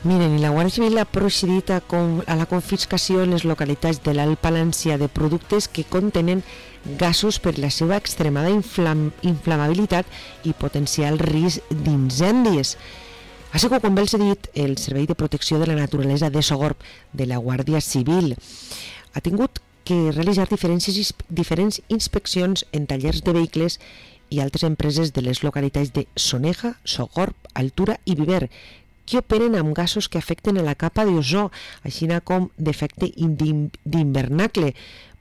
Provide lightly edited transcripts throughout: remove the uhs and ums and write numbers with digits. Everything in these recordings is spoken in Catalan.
Miren, i la Guàrdia Civil ha procedit a la confiscació en les localitats de l'Alt Palància de productes que contenen gasos per la seva extremada inflamabilitat i potencial risc d'incendis. Així que, com bé els he dit, el Servei de Protecció de la Naturalesa de Sogorb de la Guàrdia Civil ha tingut que realitzar diferents inspeccions en tallers de vehicles i altres empreses de les localitats de Soneja, Sogorb, Altura i Viver, que operen amb gasos que afecten a la capa d'ozó, així com d'efecte d'hivernacle,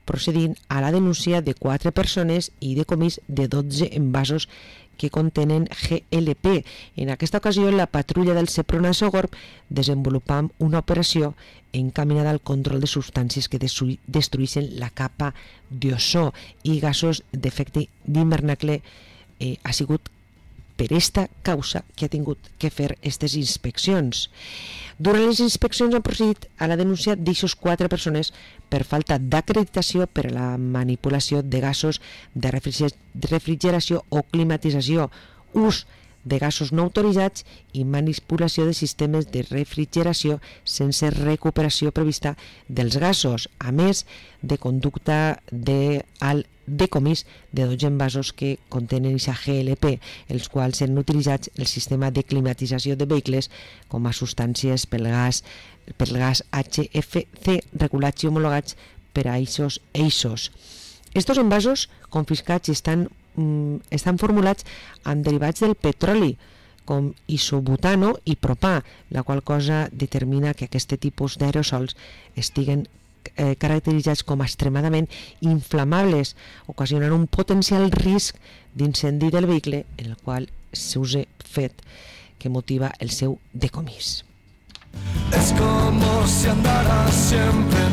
procedint a la denúncia de 4 persones i decomís de 12 envasos que contenen GLP. En aquesta ocasió, la patrulla del Seprona Sogorb desenvolupam una operació encaminada al control de substàncies que destrueixen la capa d'ozó i gasos d'efecte d'hivernacle. Ha sigut per esta causa que ha tingut que fer aquestes inspeccions. Durant les inspeccions han procedit a la denúncia d'eixos 4 persones per falta d'acreditació per a la manipulació de gasos de refrigeració o climatització, ús de gasos no autoritzats i manipulació de sistemes de refrigeració sense recuperació prevista dels gasos, a més de conducta al decomís de 12 envasos que contenen aquesta GLP, els quals han utilitzat el sistema de climatització de vehicles com a substàncies pel gas HFC regulats i homologats per a aquests eixos. Estos envasos confiscats estan formulats amb derivats del petroli, com isobutano i propà, la qual cosa determina que aquest tipus d'aerosols estiguen caracteritzats com a extremadament inflamables, ocasionant un potencial risc d'incendi del vehicle, en el qual s'usa fet que motiva el seu decomís. Es como si andara siempre